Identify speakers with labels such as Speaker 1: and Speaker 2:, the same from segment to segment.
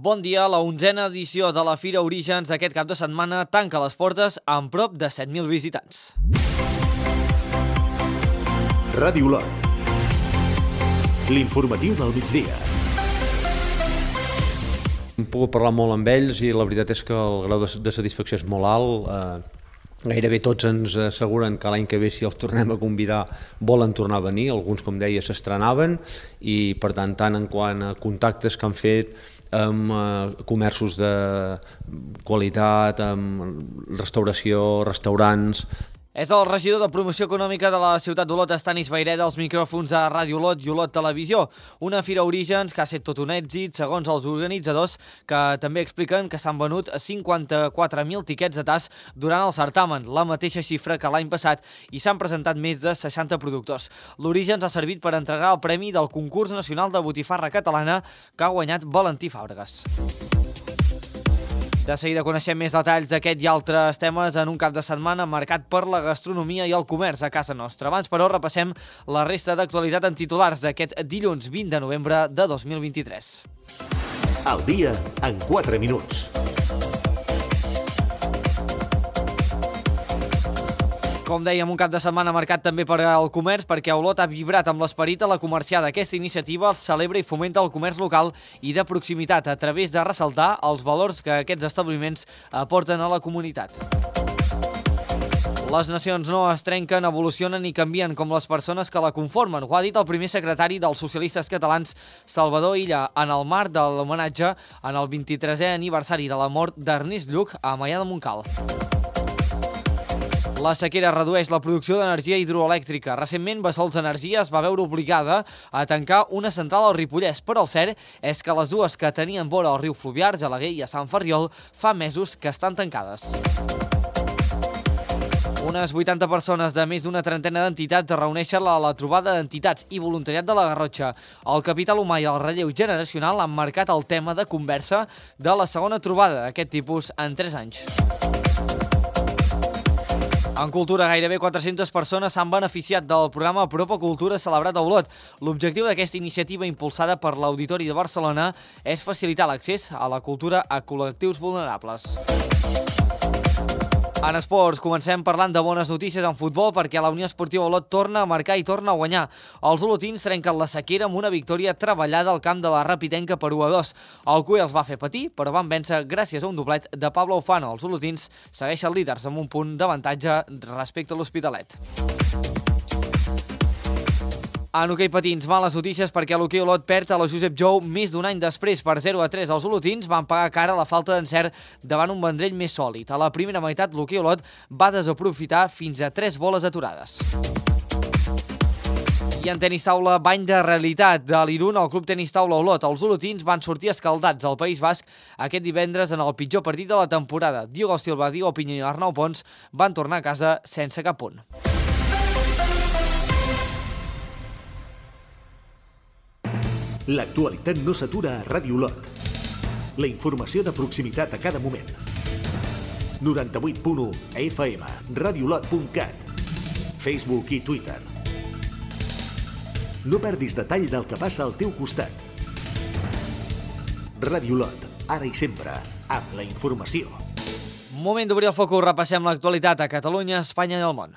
Speaker 1: Bon dia, la 11a edició de la Fira Orígens aquest cap de setmana tanca les portes amb prop de 7.000 visitants.
Speaker 2: Ràdio Olot. L'informatiu del migdia.
Speaker 3: Hem pogut parlar molt amb ells i la veritat és que el grau de satisfacció és molt alt. Gairebé tots ens asseguren que l'any que ve, si els tornem a convidar, volen tornar a venir. Alguns, com deia, s'estrenaven i, per tant en quant a contactes que han fet amb comerços de qualitat, amb restauració, restaurants.
Speaker 1: És el regidor de Promoció Econòmica de la ciutat d'Olot, Estanis Vayreda, als micròfons de Ràdio Olot i Olot Televisió. Una Fira Orígens que ha estat tot un èxit, segons els organitzadors, que també expliquen que s'han venut 54.000 tiquets de tas durant el certamen, la mateixa xifra que l'any passat, i s'han presentat més de 60 productors. L'Orígens ha servit per entregar el premi del Concurs Nacional de Botifarra Catalana que ha guanyat Valentí Fàbregas. De seguida coneixem més detalls d'aquest i altres temes en un cap de setmana marcat per la gastronomia i el comerç a casa nostra. Abans, però, repassem la resta d'actualitat en titulars d'aquest dilluns 20 de novembre de 2023.
Speaker 2: Al dia en 4 minuts.
Speaker 1: Com dèiem, un cap de setmana marcat també per al comerç, perquè Olot ha vibrat amb l'esperit de la comerciada. Aquesta iniciativa celebra i fomenta el comerç local i de proximitat a través de ressaltar els valors que aquests establiments aporten a la comunitat. Les nacions no es trenquen, evolucionen i canvien com les persones que la conformen. Ho ha dit el primer secretari dels socialistes catalans, Salvador Illa, en el marc de l'homenatge en el 23è aniversari de la mort d'Ernest Lluch a Maià de Montcal. La sequera redueix la producció d'energia hidroelèctrica. Recentment, Bessols Energia es va veure obligada a tancar una central al Ripollès, però el cert és que les dues que tenien vora al riu Fluvià, Argelaguer i a Sant Ferriol, fa mesos que estan tancades. Unes 80 persones de més d'una trentena d'entitats es reuneixen a la trobada d'entitats i voluntariat de la Garrotxa. El capital humà i el relleu generacional han marcat el tema de conversa de la segona trobada d'aquest tipus en 3 anys. En cultura, gairebé 400 persones s'han beneficiat del programa Apropa Cultura celebrat a Olot. L'objectiu d'aquesta iniciativa impulsada per l'Auditori de Barcelona és facilitar l'accés a la cultura a col·lectius vulnerables. En esports, comencem parlant de bones notícies en futbol perquè la Unió Esportiva Olot torna a marcar i torna a guanyar. Els olotins trenquen la sequera amb una victòria treballada al camp de la Rapidenca per 1-2. El CUE els va fer patir, però van vèncer gràcies a un doblet de Pablo Ufano. Els olotins segueixen líders amb un punt d'avantatge respecte a l'Hospitalet. En hoquei patins, males notícies perquè l'hoquei Olot perd a la Josep Jou més d'un any després. Per 0-3, els olotins van pagar cara la falta d'encert davant un Vendrell més sòlid. A la primera meitat, l'hoquei Olot va desaprofitar fins a 3 boles aturades. I en tenis taula, bany de realitat de l'Irun al Club Tenis Taula Olot. Els olotins van sortir escaldats al País Basc aquest divendres en el pitjor partit de la temporada. Diogo Silva, Diego Piño i Arnau Pons van tornar a casa sense cap punt.
Speaker 2: L'actualitat no s'atura a Ràdio Olot. La informació de proximitat a cada moment. 98.1 FM, radiolot.cat, Facebook i Twitter. No perdis detall del que passa al teu costat. Ràdio Olot, ara i sempre, amb la informació.
Speaker 1: Moment d'obrir el focus, repassem l'actualitat a Catalunya, Espanya i el món.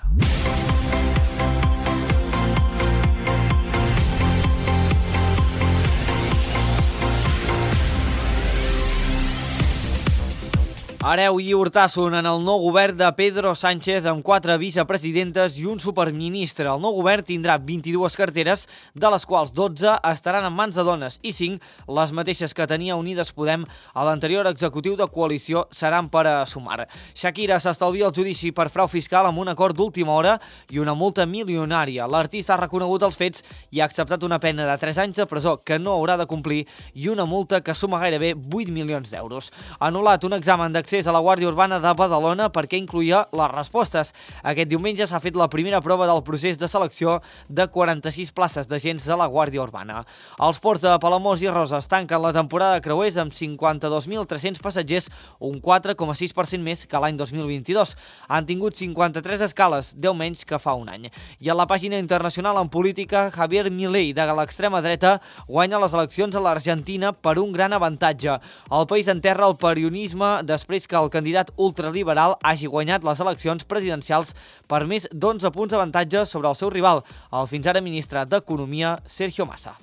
Speaker 1: Hereu i Hortasson en el nou govern de Pedro Sánchez amb 4 vicepresidentes i un superministre. El nou govern tindrà 22 carteres, de les quals 12 estaran en mans de dones i 5, les mateixes que tenia Unides Podem a l'anterior executiu de coalició, seran per a Sumar. Shakira s'estalvia el judici per frau fiscal amb un acord d'última hora i una multa milionària. L'artista ha reconegut els fets i ha acceptat una pena de 3 anys de presó que no haurà de complir i una multa que suma gairebé 8 milions d'euros. Ha anul·lat un examen d'accés d'accés a la Guàrdia Urbana de Badalona perquè incloïa les respostes. Aquest diumenge s'ha fet la primera prova del procés de selecció de 46 places d'agents de la Guàrdia Urbana. Els ports de Palamós i Roses tanquen la temporada de creuers amb 52.300 passatgers, un 4,6% més que l'any 2022. Han tingut 53 escales, 10 menys que fa un any. I a la pàgina internacional en política, Javier Milei, de l'extrema dreta, guanya les eleccions a l'Argentina per un gran avantatge. El país enterra el peronisme després que el candidat ultraliberal hagi guanyat les eleccions presidencials per més d'11 punts d'avantatge sobre el seu rival, el fins ara ministre d'Economia, Sergio Massa.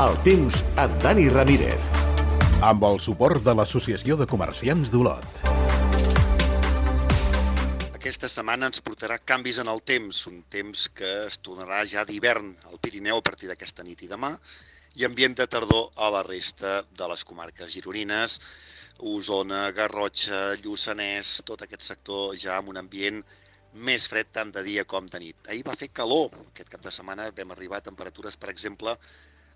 Speaker 2: El temps amb Dani Ramírez.
Speaker 4: Amb el suport de l'Associació de Comerciants d'Olot.
Speaker 5: Aquesta setmana ens portarà canvis en el temps, un temps que es tornarà ja d'hivern al Pirineu a partir d'aquesta nit i demà, i ambient de tardor a la resta de les comarques gironines, Osona, Garrotxa, Lluçanès, tot aquest sector ja amb un ambient més fred tant de dia com de nit. Ahir va fer calor, aquest cap de setmana vam arribar a temperatures, per exemple,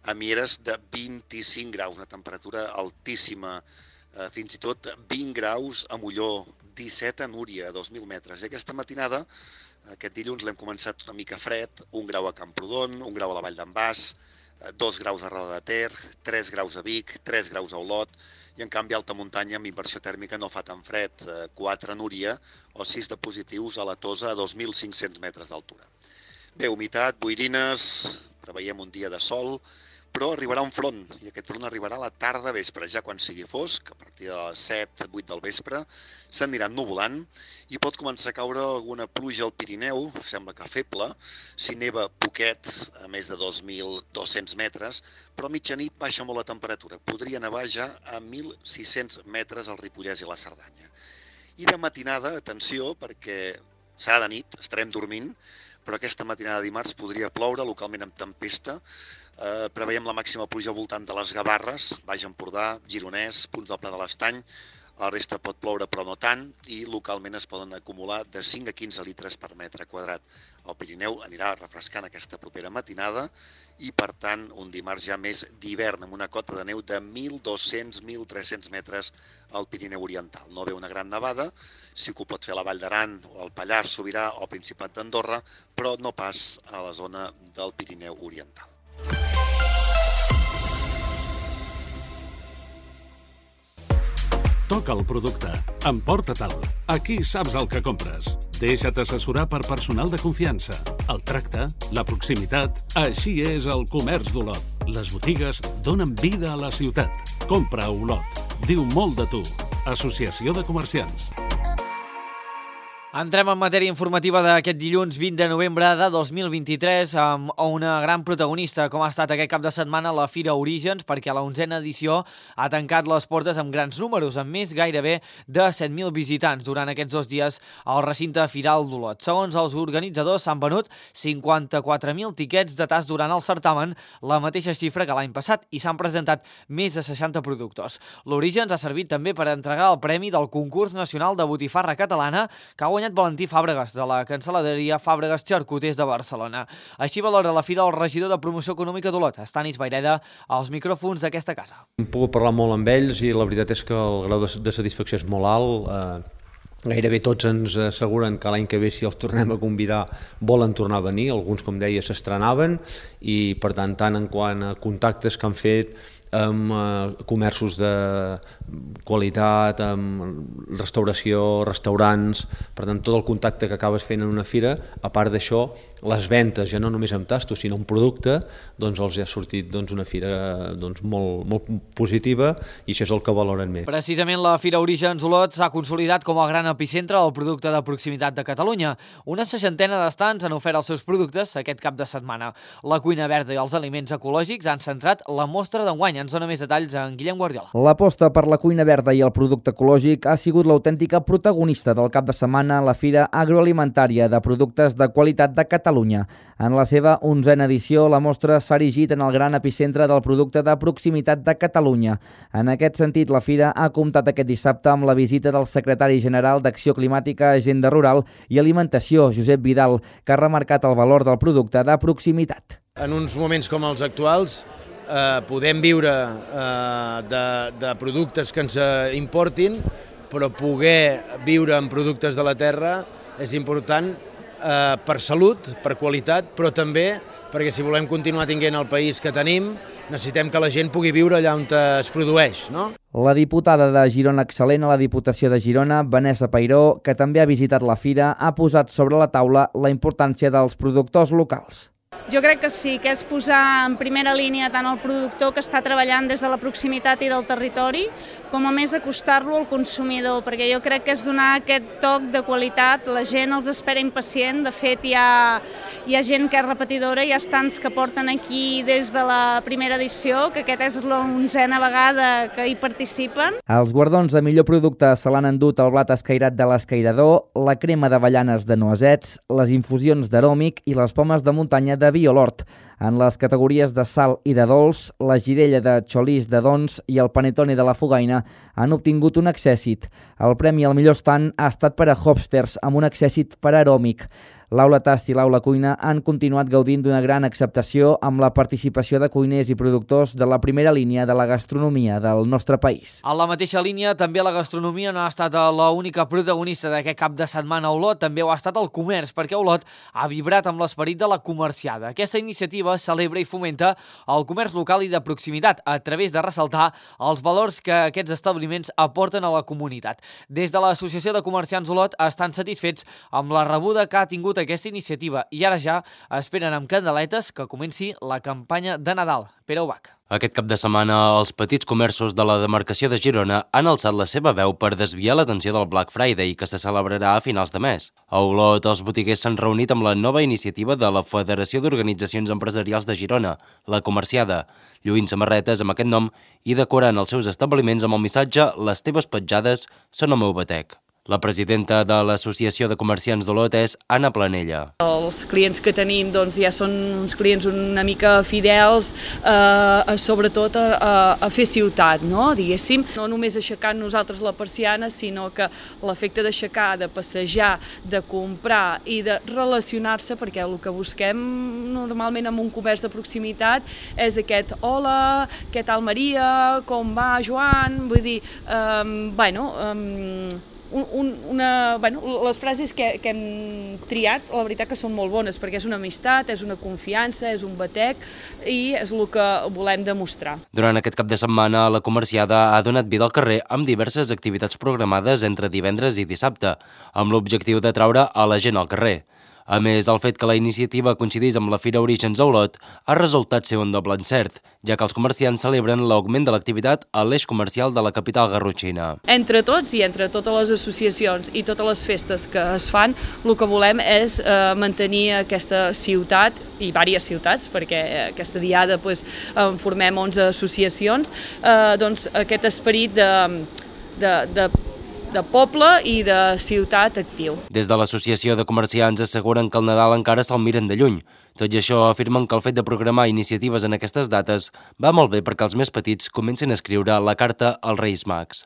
Speaker 5: a Mieres de 25 graus, una temperatura altíssima, fins i tot 20 graus a Molló, 17 a Núria, a 2.000 metres. I aquesta matinada, aquest dilluns, l'hem començat una mica fred, 1 grau a Camprodon, 1 grau a la Vall d'en Bas, 2 graus a Roda de Ter, 3 graus a Vic, 3 graus a Olot, i en canvi a alta muntanya amb inversió tèrmica no fa tan fred, 4 a Núria o 6 de positius a la Tosa a 2.500 metres d'altura. Bé, humitat, boirines, preveiem un dia de sol, però arribarà un front, i aquest front arribarà a la tarda vespre, ja quan sigui fosc, a partir de les 7-8 del vespre, s'aniran nuvolant i pot començar a caure alguna pluja al Pirineu, sembla que feble, si neva poquet, a més de 2.200 metres, però a mitjanit baixa molt la temperatura, podria nevar ja a 1.600 metres al Ripollès i la Cerdanya. I de matinada, atenció, perquè serà de nit, estarem dormint, però aquesta matinada de dimarts podria ploure, localment amb tempesta. Preveiem la màxima pluja al voltant de les Gavarres, Baix Empordà, Gironès, punts del Pla de l'Estany. La resta pot ploure però no tant i localment es poden acumular de 5 a 15 litres per metre quadrat. El Pirineu anirà refrescant aquesta propera matinada i, per tant, un dimarts ja més d'hivern amb una cota de neu de 1.200-1.300 metres al Pirineu Oriental. No ve una gran nevada, sí que ho pot fer a la Vall d'Aran o al Pallars Sobirà o al Principat d'Andorra, però no pas a la zona del Pirineu Oriental.
Speaker 6: Toca el producte. Emporta-te'l. Aquí saps el que compres. Deixa't assessorar per personal de confiança. El tracte, la proximitat... Així és el comerç d'Olot. Les botigues donen vida a la ciutat. Compra a Olot. Diu molt de tu. Associació de Comerciants.
Speaker 1: Entrem en matèria informativa d'aquest dilluns 20 de novembre de 2023 amb una gran protagonista com ha estat aquest cap de setmana la Fira Orígens, perquè la 11a edició ha tancat les portes amb grans números, amb més gairebé de 7.000 visitants durant aquests 2 dies al recinte Firal d'Olot. Segons els organitzadors, s'han venut 54.000 tiquets de tast durant el certamen, la mateixa xifra que l'any passat, i s'han presentat més de 60 productors. L'Orígens ha servit també per entregar el premi del Concurs Nacional de Botifarra Catalana, que ha guanyat Valentí Fàbregas, de la cancel·laderia Fàbregas Xarcuters de Barcelona. Així valora la Fira el regidor de Promoció Econòmica d'Olot, Stanis Vayreda, als micròfons d'aquesta casa.
Speaker 3: Hem pogut parlar molt amb ells i la veritat és que el grau de satisfacció és molt alt. Gairebé tots ens asseguren que l'any que ve, si els tornem a convidar, volen tornar a venir. Alguns, com deia, s'estrenaven i, per tant en quant a contactes que han fet amb comerços de qualitat, amb restauració, restaurants, per tant tot el contacte que acabes fent en una fira, a part d'això, les ventes, ja no només amb tastos, sinó amb producte, doncs els ha sortit una fira molt positiva i això és el que valoren més.
Speaker 1: Precisament la Fira Orígens Olot s'ha consolidat com el gran epicentre del producte de proximitat de Catalunya. Una 60ena d'estants han ofert els seus productes aquest cap de setmana. La cuina verda i els aliments ecològics han centrat la mostra d'enguany, Ens dona més detalls en Guillem Guardiola.
Speaker 7: L'aposta per la cuina verda i el producte ecològic ha sigut l'autèntica protagonista del cap de setmana a la Fira Agroalimentària de Productes de Qualitat de Catalunya. En la seva 11a edició, la mostra s'ha erigit en el gran epicentre del producte de proximitat de Catalunya. En aquest sentit, la Fira ha comptat aquest dissabte amb la visita del secretari general d'Acció Climàtica, Agenda Rural i Alimentació, Josep Vidal, que ha remarcat el valor del producte de proximitat.
Speaker 8: En uns moments com els actuals podem viure de productes que ens importin, però poder viure amb productes de la terra és important per salut, per qualitat, però també perquè si volem continuar tinguent el país que tenim, necessitem que la gent pugui viure allà on es produeix, no?
Speaker 7: La diputada de Girona Excel·lent a la Diputació de Girona, Vanessa Peiró, que també ha visitat la fira, ha posat sobre la taula la importància dels productors locals.
Speaker 9: Jo crec que sí, que és posar en primera línia tant el productor que està treballant des de la proximitat i del territori, com a més acostar-lo al consumidor, perquè jo crec que és donar aquest toc de qualitat, la gent els espera impacient, de fet hi ha gent que és repetidora, hi ha estants que porten aquí des de la primera edició, que aquesta és l'11a vegada que hi participen.
Speaker 7: Els guardons de millor producte se l'han endut el blat escairat de l'escairador, la crema d'avellanes de noisets, les infusions d'aròmic i les pomes de muntanya de Violort. En les categories de sal i de dolç, la girella de xolís de Dons i el panetone de la Fogaina han obtingut un accèssit. El premi al millor estant ha estat per a Hopsters, amb un accèssit per a aròmic. L'Aula Tast i l'Aula Cuina han continuat gaudint d'una gran acceptació amb la participació de cuiners i productors de la primera línia de la gastronomia del nostre país.
Speaker 1: En la mateixa línia, també la gastronomia no ha estat l'única protagonista d'aquest cap de setmana a Olot, també ho ha estat el comerç, perquè Olot ha vibrat amb l'esperit de la comerciada. Aquesta iniciativa celebra i fomenta el comerç local i de proximitat, a través de ressaltar els valors que aquests establiments aporten a la comunitat. Des de l'Associació de Comerciants Olot estan satisfets amb la rebuda que ha tingut aquesta iniciativa i ara ja esperen amb candeletes que comenci la campanya de Nadal. Pere Ubach.
Speaker 10: Aquest cap de setmana, els petits comerços de la demarcació de Girona han alçat la seva veu per desviar l'atenció del Black Friday, que se celebrarà a finals de mes. A Olot, els botiguers s'han reunit amb la nova iniciativa de la Federació d'Organitzacions Empresarials de Girona, la Comerciada, lluint samarretes amb aquest nom i decorant els seus establiments amb el missatge «Les teves petjades són el meu batec». La presidenta de l'Associació de Comerciants d'Olot és Anna Planella.
Speaker 11: Els clients que tenim ja són uns clients una mica fidels, sobretot a fer ciutat, diguéssim. No només aixecar nosaltres la persiana, sinó que l'efecte d'aixecar, de passejar, de comprar i de relacionar-se, perquè el que busquem normalment en un comerç de proximitat és aquest «Hola, què tal Maria, com va Joan?» Vull dir, les frases que hem triat, la veritat que són molt bones, perquè és una amistat, és una confiança, és un batec i és el que volem demostrar.
Speaker 10: Durant aquest cap de setmana, la Comerciada ha donat vida al carrer amb diverses activitats programades entre divendres i dissabte, amb l'objectiu de traure a la gent al carrer. A més, el fet que la iniciativa coincidís amb la Fira Orígens a Olot ha resultat ser un doble encert, ja que els comerciants celebren l'augment de l'activitat a l'eix comercial de la capital garrotxina.
Speaker 11: Entre tots i entre totes les associacions i totes les festes que es fan, el que volem és mantenir aquesta ciutat i diverses ciutats, perquè aquesta diada en formem 11 associacions, aquest esperit de poble i de ciutat actiu.
Speaker 10: Des de l'Associació de Comerciants asseguren que el Nadal encara se'l miren de lluny. Tot i això, afirmen que el fet de programar iniciatives en aquestes dates va molt bé perquè els més petits comencin a escriure la carta als Reis Mags.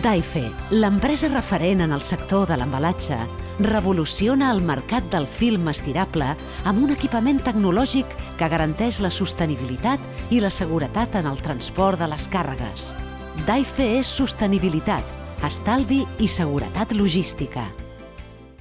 Speaker 12: Daife, l'empresa referent en el sector de l'embalatge, revoluciona el mercat del film estirable amb un equipament tecnològic que garanteix la sostenibilitat i la seguretat en el transport de les càrregues. Daife és sostenibilitat, estalvi i seguretat logística.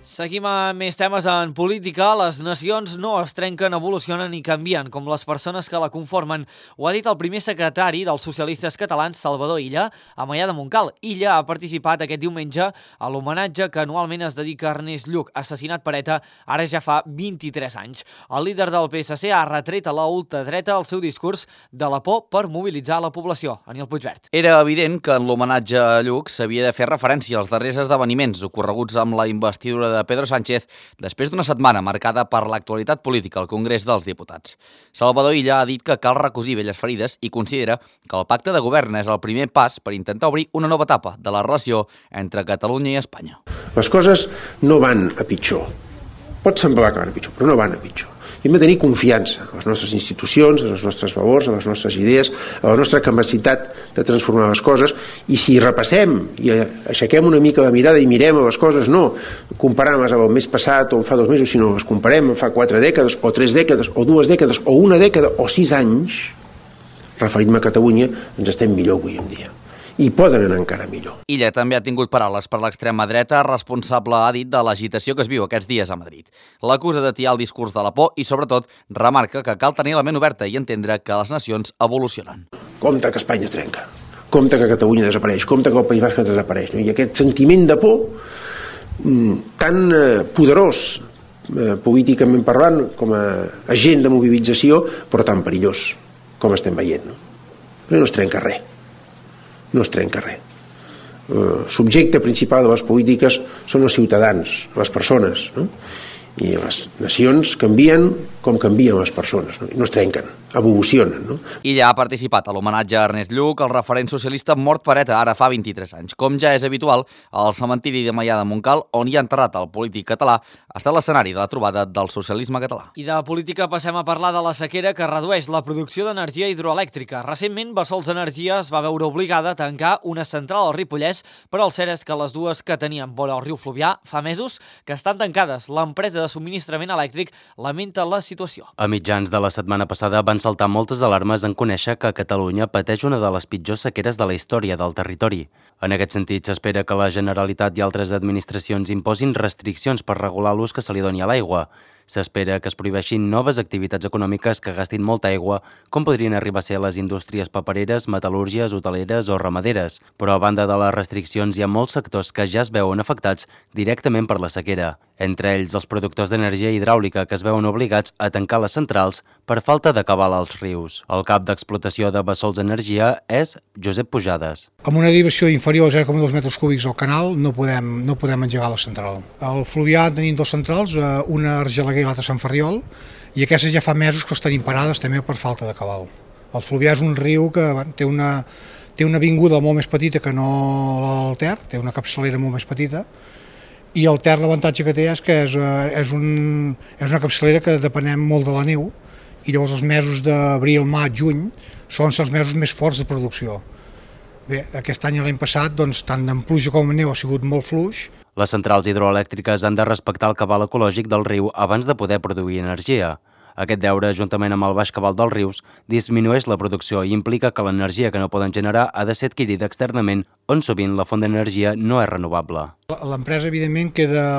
Speaker 1: Seguim amb més temes en política. Les nacions no es trenquen, evolucionen i canvien, com les persones que la conformen. Ho ha dit el primer secretari dels socialistes catalans, Salvador Illa, a Maià de Montcal. Illa ha participat aquest diumenge a l'homenatge que anualment es dedica a Ernest Lluch, assassinat per ETA ara ja fa 23 anys. El líder del PSC ha retret a la ultradreta el seu discurs de la por per mobilitzar la població. Aniel Puigvert.
Speaker 13: Era evident que en l'homenatge a Lluch s'havia de fer referència als darrers esdeveniments ocorreguts amb la investidura de de Pedro Sánchez després d'una setmana marcada per l'actualitat política al Congrés dels Diputats. Salvador Illa ha dit que cal recosir velles ferides i considera que el pacte de govern és el primer pas per intentar obrir una nova etapa de la relació entre Catalunya i Espanya.
Speaker 14: Les coses no van a pitjor. Pot semblar que van a pitjor, però no van a pitjor. I hem de tenir confiança en les nostres institucions, en els nostres valors, en les nostres idees, en la nostra capacitat de transformar les coses, i si repassem i aixequem una mica la mirada i mirem a les coses, no comparant-les amb el mes passat o fa 2 mesos, sinó les comparem amb fa 4 dècades, o 3 dècades, o 2 dècades, o 1 dècada, o 6 anys, referint-me a Catalunya, ens estem millor avui en dia. I poden anar encara millor.
Speaker 13: Illa també ha tingut paraules per l'extrema dreta, responsable, ha dit, de l'agitació que es viu aquests dies a Madrid. L'acusa d'atiar el discurs de la por i, sobretot, remarca que cal tenir la ment oberta i entendre que les nacions evolucionen.
Speaker 14: Compte que Espanya es trenca, compte que Catalunya desapareix, compte que el País Basc desapareix. I aquest sentiment de por tan poderós, políticament parlant, com a agent de mobilització, però tan perillós, com estem veient. No es trenca res. No es trenca res. El subjecte principal de les polítiques són els ciutadans, les persones, no? I les nacions canvien com canvien les persones, no es trenquen, evolucionen. No?
Speaker 13: Illa ha participat a l'homenatge a Ernest Lluch, el referent socialista mort per ETA ara fa 23 anys. Com ja és habitual, el cementiri de Maià de Montcal, on hi ha enterrat el polític català, ha estat l'escenari de la trobada del socialisme català.
Speaker 1: I de política passem a parlar de la sequera que redueix la producció d'energia hidroelèctrica. Recentment, Bessols Energia es va veure obligada a tancar una central al Ripollès, però el cert és que les dues que tenien vora el riu Fluvià fa mesos que estan tancades. L'empresa de subministrament elèctric lamenta la situació.
Speaker 10: A mitjans de la setmana passada van saltar moltes alarmes en conèixer que Catalunya pateix una de les pitjors sequeres de la història del territori. En aquest sentit, s'espera que la Generalitat i altres administracions imposin restriccions per regular l'ús que se li doni a l'aigua. S'espera que es prohibeixin noves activitats econòmiques que gastin molta aigua, com podrien arribar a ser les indústries papereres, metal·lúrgies, hoteleres o ramaderes. Però a banda de les restriccions, hi ha molts sectors que ja es veuen afectats directament per la sequera. Entre ells, els productors d'energia hidràulica que es veuen obligats a tancar les centrals per falta de cabal als rius. El cap d'explotació de Bessols Energia és Josep Pujades.
Speaker 15: Amb una derivació inferior a 0,2 metres cúbics al canal no podem engegar la central. Al Fluvià tenim 2 centrals, una a Argelaguer i l'altra a Sant Ferriol, i aquestes ja fa mesos que estan imparades també per falta de cabal. El Fluvià és un riu que té una avinguda molt més petita que no el Ter, té una capçalera molt més petita, i el Ter l'avantatge que té és que és una capçalera que depenem molt de la neu, i llavors els mesos d'abril, maig, juny són els mesos més forts de producció. Bé, aquest any i l'any passat, doncs, tant en pluja com en neu ha sigut molt fluix.
Speaker 10: Les centrals hidroelèctriques han de respectar el cabal ecològic del riu abans de poder produir energia. Aquest deure, juntament amb el baix cabal dels rius, disminueix la producció i implica que l'energia que no poden generar ha de ser adquirida externament, on sovint la font d'energia no és renovable.
Speaker 15: L'empresa, evidentment,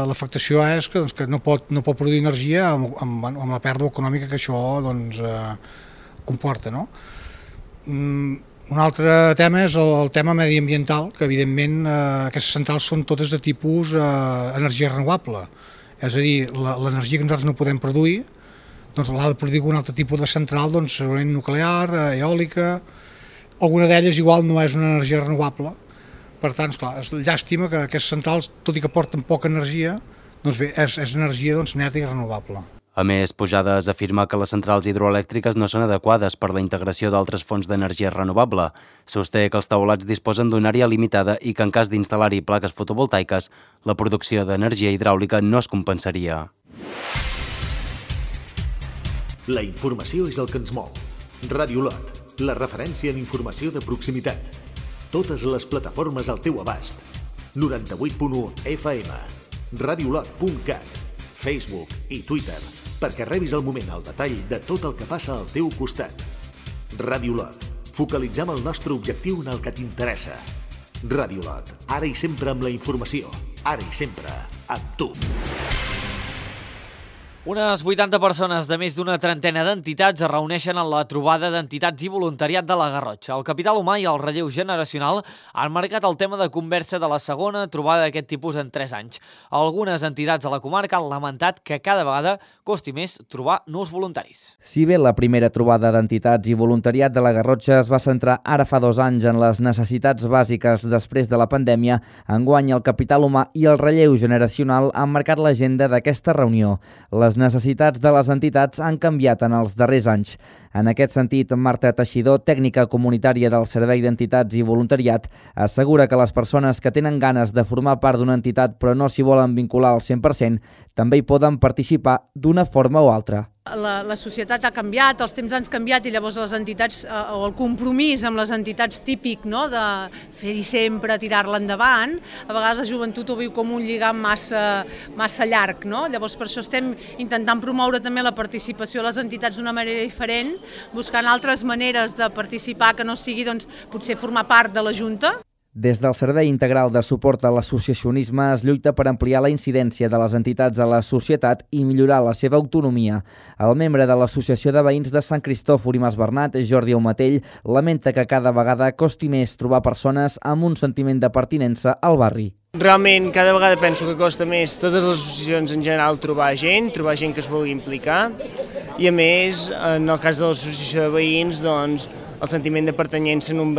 Speaker 15: l'afectació és que no pot produir energia amb la pèrdua econòmica que això comporta. Un altre tema és el tema mediambiental, que evidentment aquestes centrals són totes de tipus energia renovable. És a dir, l'energia que nosaltres no podem produir, doncs l'ha de produir un altre tipus de central, segurament nuclear, eòlica. Alguna d'elles igual no és una energia renovable. Per tant, esclar, és llàstima que aquestes centrals, tot i que porten poca energia, doncs bé, és energia neta i renovable.
Speaker 10: A més, Pujades afirma que les centrals hidroelèctriques no són adequades per la integració d'altres fonts d'energia renovable. Sosté que els taulats disposen d'una àrea limitada i que en cas d'instal·lar-hi plaques fotovoltaiques, la producció d'energia hidràulica no es compensaria.
Speaker 2: La informació és el que ens mou. Ràdio Lot, la referència en informació de proximitat. Totes les plataformes al teu abast. 98.1 FM, radiolot.cat, Facebook i Twitter, perquè rebis al moment el detall de tot el que passa al teu costat. Ràdio Lot, focalitzem el nostre objectiu en el que t'interessa. Ràdio Lot, ara i sempre amb la informació, ara i sempre amb tu.
Speaker 1: Unes 80 persones de més d'una trentena d'entitats es reuneixen en la trobada d'entitats i voluntariat de la Garrotxa. El capital humà i el relleu generacional han marcat el tema de conversa de la segona trobada d'aquest tipus en 3 anys. Algunes entitats de la comarca han lamentat que cada vegada costi més trobar nous voluntaris.
Speaker 7: Si bé la primera trobada d'entitats i voluntariat de la Garrotxa es va centrar ara fa 2 anys en les necessitats bàsiques després de la pandèmia, enguany el capital humà i el relleu generacional han marcat l'agenda d'aquesta reunió. Les necessitats de les entitats han canviat en els darrers anys. En aquest sentit, Marta Teixidor, tècnica comunitària del Servei d'Entitats i Voluntariat, assegura que les persones que tenen ganes de formar part d'una entitat però no s'hi volen vincular al 100%, també hi poden participar d'una forma o altra.
Speaker 16: La societat ha canviat, els temps han canviat i llavors les entitats, o el compromís amb les entitats típic, no?, de fer-hi sempre, tirar-la endavant, a vegades la joventut ho viu com un lligam massa llarg, no? Llavors per això estem intentant promoure també la participació a les entitats d'una manera diferent, buscant altres maneres de participar que no sigui, doncs, potser formar part de la Junta.
Speaker 7: Des del Servei Integral de Suport a l'Associacionisme es lluita per ampliar la incidència de les entitats a la societat i millorar la seva autonomia. El membre de l'Associació de Veïns de Sant Cristòfor i Mas Bernat, Jordi Aumatell, lamenta que cada vegada costi més trobar persones amb un sentiment de pertinença al barri.
Speaker 17: Realment, cada vegada penso que costa més totes les associacions en general trobar gent que es vulgui implicar i a més, en el cas de l'associació de veïns, doncs, el sentiment de pertanyença en un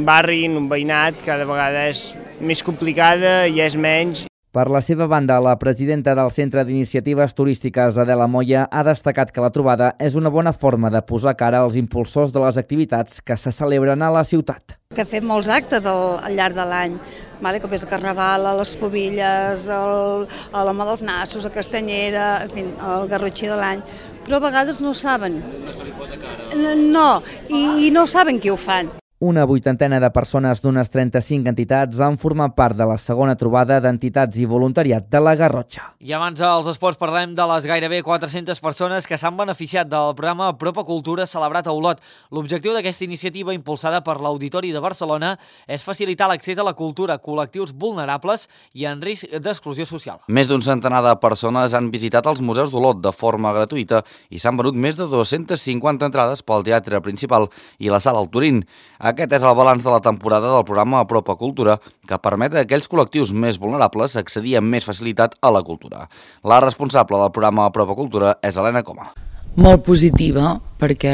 Speaker 17: barri, en un veïnat, cada vegada és més complicada i és menys.
Speaker 7: Per la seva banda, la presidenta del Centre d'Iniciatives Turístiques, Adela Moya, ha destacat que la trobada és una bona forma de posar cara als impulsors de les activitats que se celebren a la ciutat.
Speaker 18: Que fem molts actes al llarg de l'any, com és el Carnaval, a les Pobilles, a l'Home dels Nassos, a Castanyera, en fi, el Garrotxí de l'any, però a vegades no saben. No se li posa cara. No, i no saben qui ho fan.
Speaker 7: Una 80ena de persones d'unes 35 entitats han format part de la segona trobada d'entitats i voluntariat de la Garrotxa.
Speaker 1: I abans als esports parlem de les gairebé 400 persones que s'han beneficiat del programa Apropa Cultura celebrat a Olot. L'objectiu d'aquesta iniciativa impulsada per l'Auditori de Barcelona és facilitar l'accés a la cultura a col·lectius vulnerables i en risc d'exclusió social.
Speaker 13: Més d'un centenar de persones han visitat els museus d'Olot de forma gratuïta i s'han venut més de 250 entrades pel teatre principal i la sala al Turín. Aquest és el balanç de la temporada del programa Apropa Cultura, que permet a aquells col·lectius més vulnerables accedir amb més facilitat a la cultura. La responsable del programa Apropa Cultura és Helena Coma.
Speaker 19: Molt positiva, perquè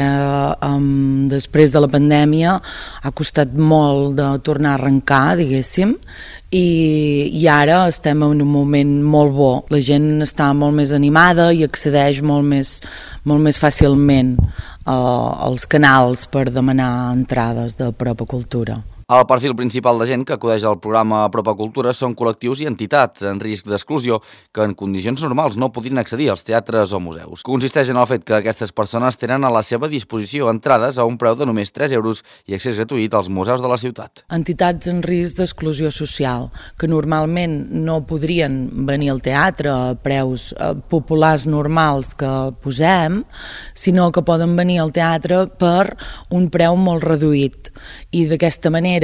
Speaker 19: després de la pandèmia ha costat molt de tornar a arrencar, diguéssim, i ara estem en un moment molt bo. La gent està molt més animada i accedeix molt més fàcilment als canals per demanar entrades de Apropa Cultura.
Speaker 13: El perfil principal de gent que acudeix al programa Apropa Cultura són col·lectius i entitats en risc d'exclusió que en condicions normals no podrien accedir als teatres o museus. Consisteix en el fet que aquestes persones tenen a la seva disposició entrades a un preu de només 3 euros i accés gratuït als museus de la ciutat.
Speaker 19: Entitats en risc d'exclusió social, que normalment no podrien venir al teatre a preus populars normals que posem, sinó que poden venir al teatre per un preu molt reduït. I d'aquesta manera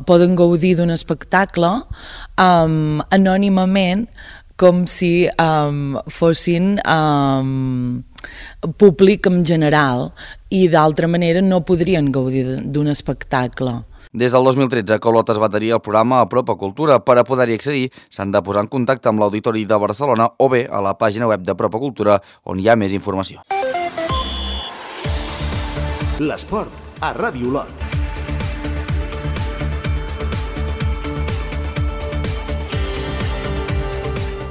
Speaker 19: poden gaudir d'un espectacle anònimament com si fossin públic en general i d'altra manera no podrien gaudir d'un espectacle.
Speaker 13: Des del 2013 que Olot es va adherir al programa Apropa Cultura. Per a poder-hi accedir s'han de posar en contacte amb l'Auditori de Barcelona o bé a la pàgina web d'Apropa Cultura on hi ha més informació.
Speaker 2: L'esport a Ràdio Olot.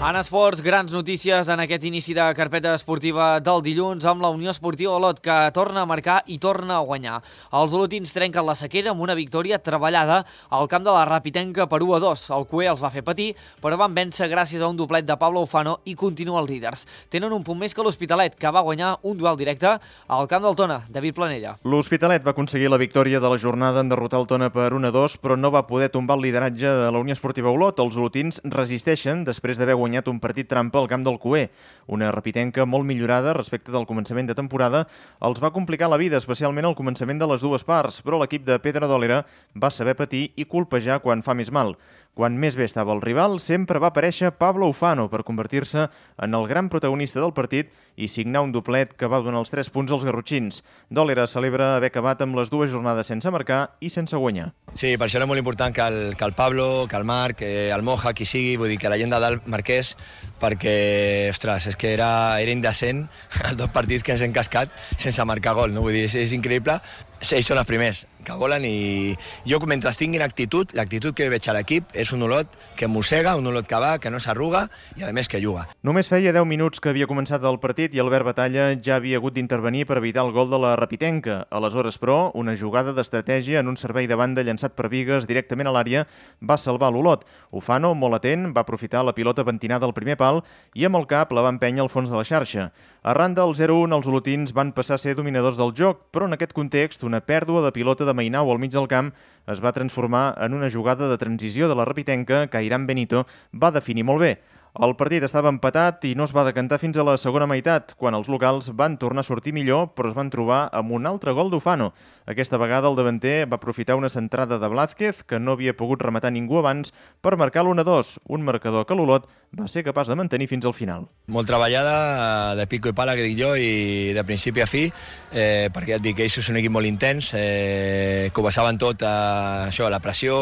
Speaker 1: En esports, grans notícies en aquest inici de carpeta esportiva del dilluns amb la Unió Esportiva Olot, que torna a marcar i torna a guanyar. Els olotins trenquen la sequera amb una victòria treballada al camp de la Rapitenca per 1-2. El Cué els va fer patir, però van vèncer gràcies a un doblet de Pablo Ufano i continuen líders. Tenen un punt més que l'Hospitalet, que va guanyar un duel directe al camp del Tona. David Planella.
Speaker 20: L'Hospitalet va aconseguir la victòria de la jornada en derrotar el Tona per 1-2, però no va poder tombar el lideratge de la Unió Esportiva Olot. Els olotins resisteixen després d'haver guanyat un partit trampa al camp del Cué. Una Rapitenca molt millorada respecte del començament de temporada els va complicar la vida, especialment al començament de les dues parts, però l'equip de Pedra d'Òlera va saber patir i colpejar quan fa més mal. Quan més bé estava el rival, sempre va aparèixer Pablo Ufano per convertir-se en el gran protagonista del partit i signar un doblet que va donar els 3 punts als garrotxins. Dòlera celebra haver acabat amb les 2 jornades sense marcar i sense guanyar.
Speaker 21: Sí, per això era molt important que el Pablo, que el Marc, el Moja, qui sigui, vull dir que la gent de dalt marqués, perquè, ostres, és que era indecent els 2 partits que ens hem cascat sense marcar gol, no? Vull dir, és increïble. Ells són els primers que volen i jo, mentre tinguin actitud, l'actitud que veig a l'equip és un Olot que mossega, un Olot que va, que no s'arruga i, a més, que juga.
Speaker 20: Només feia 10 minuts que havia començat el partit i Albert Batalla ja havia hagut d'intervenir per evitar el gol de la Rapitenca. Aleshores, però, una jugada d'estratègia en un servei de banda llançat per Bigues directament a l'àrea va salvar l'Olot. Ufano, molt atent, va aprofitar la pilota pentinada al primer pal i amb el cap la va empènyer al fons de la xarxa. Arran del 0-1, els olotins van passar a ser dominadors del joc, però en aquest context una pèrdua de pilota de Mainau al mig del camp es va transformar en una jugada de transició de la Rapitenca que Irán Benito va definir molt bé. El partit estava empatat i no es va decantar fins a la segona meitat, quan els locals van tornar a sortir millor, però es van trobar amb un altre gol d'Ufano. Aquesta vegada el davanter va aprofitar una centrada de Blázquez, que no havia pogut rematar ningú abans, per marcar l'1-2, un marcador que l'Olot va ser capaç de mantenir fins al final.
Speaker 21: Molt treballada, de pico i pala, que dic jo, i de principi a fi, perquè ja et dic que ells són un equip molt intens, que ho basaven tot a això, a la pressió,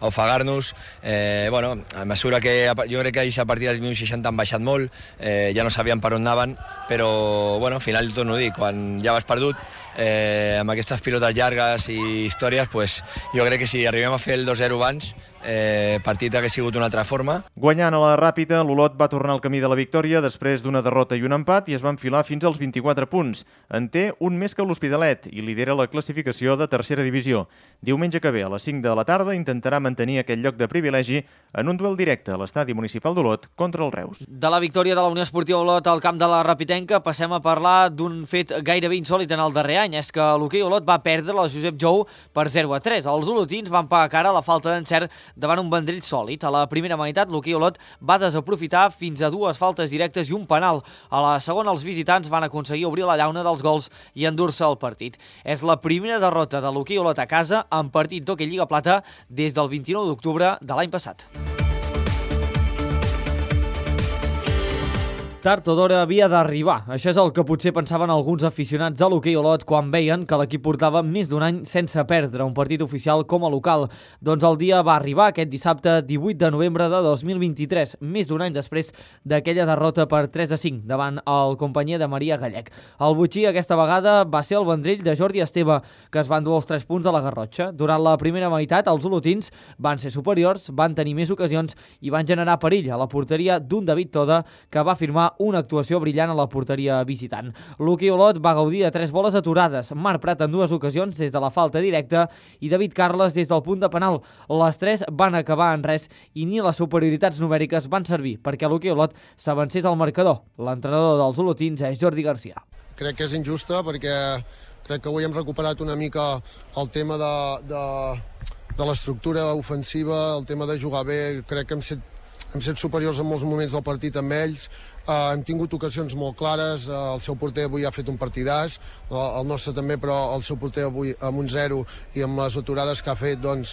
Speaker 21: a ofegar-nos. A mesura que jo crec que ells a partir dels minuts 60 han baixat molt, ja no sabien per on anaven, però al final torno a dir, quan ja vas perdut, amb aquestes pilotes llargues i històries, jo crec que si arribem a fer el 2-0 abans, partit hagués sigut una altra forma.
Speaker 20: Guanyant a la ràpida, l'Olot va tornar al camí de la victòria després d'una derrota i un empat i es va enfilar fins als 24 punts. En té un més que l'Hospitalet i lidera la classificació de tercera divisió. Diumenge que ve, a les 5 de la tarda, intentarà mantenir aquest lloc de privilegi en un duel directe a l'estadi municipal d'Olot contra el Reus.
Speaker 1: De la victòria de la Unió Esportiva Olot al camp de la Rapitenca passem a parlar d'un fet gairebé insòlit en el darrer any. És que l'hoquei Olot va perdre la Josep Jou per 0-3. Els olotins van pagar cara a la falta d'encert davant un Vendrell sòlid. A la primera meitat, l'hoquei Olot va desaprofitar fins a 2 faltes directes i un penal. A la segona, els visitants van aconseguir obrir la llauna dels gols i endur-se el partit. És la primera derrota de l'hoquei Olot a casa en partit d'hoquei Lliga Plata des del 29 d'octubre de l'any passat. Tard o d'hora havia d'arribar. Això és el que potser pensaven alguns aficionats a l'hoquei Olot quan veien que l'equip portava més d'un any sense perdre un partit oficial com a local. Doncs el dia va arribar aquest dissabte 18 de novembre de 2023, més d'un any després d'aquella derrota per 3-5 davant el companyia de Maria Gallec. El botxí aquesta vegada va ser el Vendrell de Jordi Esteve, que es van dur els 3 punts de la Garrotxa. Durant la primera meitat, els olotins van ser superiors, van tenir més ocasions i van generar perill a la porteria d'un David Toda, que va firmar una actuació brillant a la porteria visitant. L'hoquei Olot va gaudir de 3 boles aturades, Marc Prat en 2 ocasions des de la falta directa i David Carles des del punt de penal. Les 3 van acabar en res i ni les superioritats numèriques van servir perquè l'hoquei Olot s'avancés al marcador. L'entrenador dels olotins és Jordi Garcia.
Speaker 22: Crec que és injusta perquè crec que avui hem recuperat una mica el tema de l'estructura ofensiva, el tema de jugar bé. Crec que hem set superiors en molts moments del partit amb ells. Hem tingut ocasions molt clares, el seu porter avui ha fet un partidàs, el nostre també, però el seu porter avui amb un 0 i amb les aturades que ha fet, doncs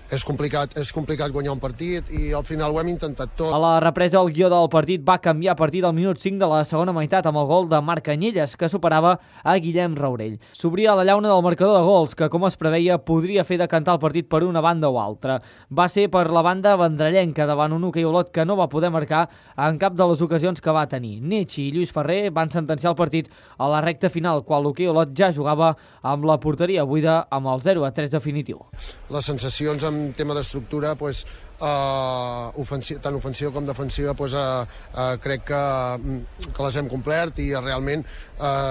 Speaker 22: és complicat guanyar un partit i al final ho hem intentat tot.
Speaker 1: A la represa, el guió del partit va canviar a partir del minut 5 de la segona meitat amb el gol de Marc Canyelles, que superava a Guillem Raurell. S'obria la llauna del marcador de gols, que com es preveia podria fer decantar el partit per una banda o altra. Va ser per la banda vendrellenca davant un hoquei Olot que no va poder marcar en cap de les ocasions que va tenir. Netxi i Lluís Ferrer van sentenciar el partit a la recta final, quan l'hoquei Olot ja jugava amb la porteria buida amb el 0-3 definitiu.
Speaker 22: Les sensacions en tema d'estructura, tant ofensiva com defensiva, crec que les hem complert i realment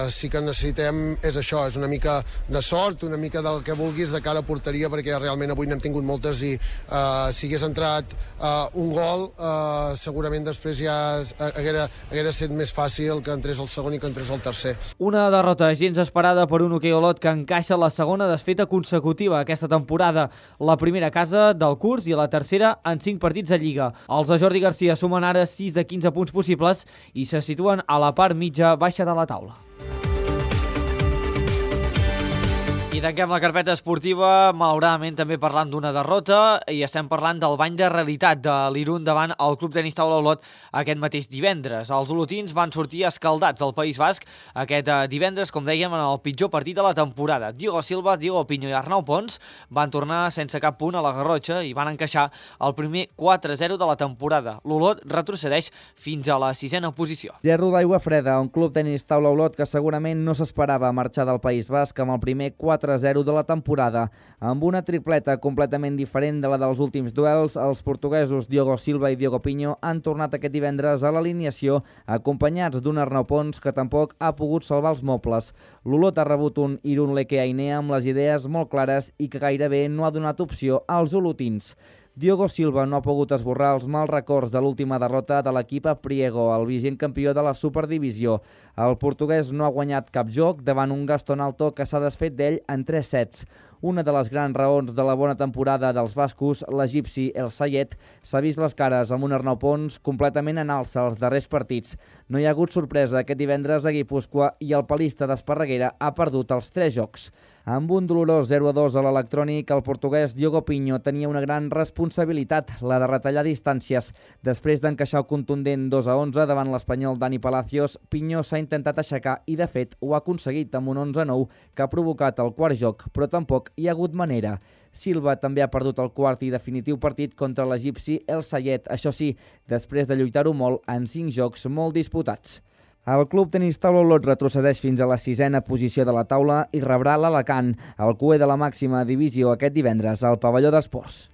Speaker 22: sí que necessitem, és això, és una mica de sort, una mica del que vulguis de cara a porteria, perquè realment avui n'hem tingut moltes i si hagués entrat un gol, segurament després ja haguera estat més fàcil que entrés el segon i que entrés el tercer.
Speaker 1: Una derrota gens esperada per un hoquei Olot que encaixa la segona desfeta consecutiva aquesta temporada, la primera a casa del curs i la tercera en 5 partits de Lliga. Els de Jordi Garcia sumen ara 6 de 15 punts possibles i se situen a la part mitja baixa de la taula. I tanquem la carpeta esportiva, malauradament també parlant d'una derrota, i estem parlant del bany de realitat de l'Irun davant el Club Tenis Taula Olot aquest mateix divendres. Els olotins van sortir escaldats al País Basc aquest divendres, com dèiem, en el pitjor partit de la temporada. Diego Silva, Diego Piño i Arnau Pons van tornar sense cap punt a la Garrotxa i van encaixar el primer 4-0 de la temporada. L'Olot retrocedeix fins a la 6a posició.
Speaker 7: Gerro d'Aigua Freda, un Club Tenis Taula Olot que segurament no s'esperava marxar del País Basc amb el primer 4-0 de la temporada. Amb una tripleta completament diferent de la dels últims duels, els portuguesos Diogo Silva i Diego Piño han tornat aquest divendres a l'alineació, acompanyats d'un Arnau Pons que tampoc ha pogut salvar els mobles. L'Olot ha rebut un Irun Leke Ainea amb les idees molt clares i que gairebé no ha donat opció als olotins. Diogo Silva no ha pogut esborrar els mals records de l'última derrota de l'equip a Priego, el vigent campió de la Superdivisió. El portuguès no ha guanyat cap joc davant un Gaston Alto que s'ha desfet d'ell en 3 sets. Una de les grans raons de la bona temporada dels bascos, l'egipci El Sayed, s'ha vist les cares amb un Arnau Pons completament en alça als darrers partits. No hi ha hagut sorpresa aquest divendres a Guipúscoa i el palista d'Esparreguera ha perdut els 3 jocs. Amb un dolorós 0-2 a l'electrònic, el portuguès Diogo Piño tenia una gran responsabilitat, la de retallar distàncies. Després d'encaixar el contundent 2-11 davant l'espanyol Dani Palacios, Piño s'ha intentat aixecar i, de fet, ho ha aconseguit amb un 11-9 que ha provocat el quart joc, però tampoc hi ha hagut manera. Silva també ha perdut el quart i definitiu partit contra l'egipci El Sayed, això sí, després de lluitar-ho molt en 5 jocs molt disputats. El Club Tenis Taula Olot retrocedeix fins a la 6a posició de la taula i rebrà l'Alacant, el cué de la màxima divisió aquest divendres al pavelló d'esports.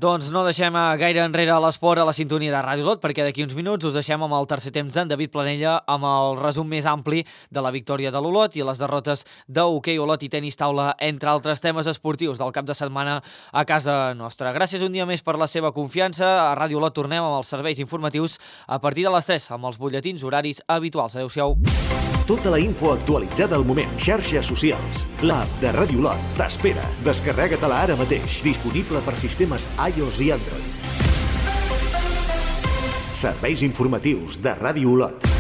Speaker 1: Doncs no deixem gaire enrere l'esport a la sintonia de Ràdio Olot, perquè d'aquí uns minuts us deixem amb el tercer temps d'en David Planella amb el resum més ampli de la victòria de l'Olot i les derrotes d'hoquei Olot i tenis taula, entre altres temes esportius del cap de setmana a casa nostra. Gràcies un dia més per la seva confiança. A Ràdio Olot tornem amb els serveis informatius a partir de les 3 amb els butlletins horaris habituals. Adéu-siau.
Speaker 2: Tota la info actualitzada al moment. Xarxes socials. L'app de Ràdio Olot t'espera. Descarrega-te-la ara mateix. Disponible per sistemes iOS i Android. Serveis informatius de Ràdio Olot.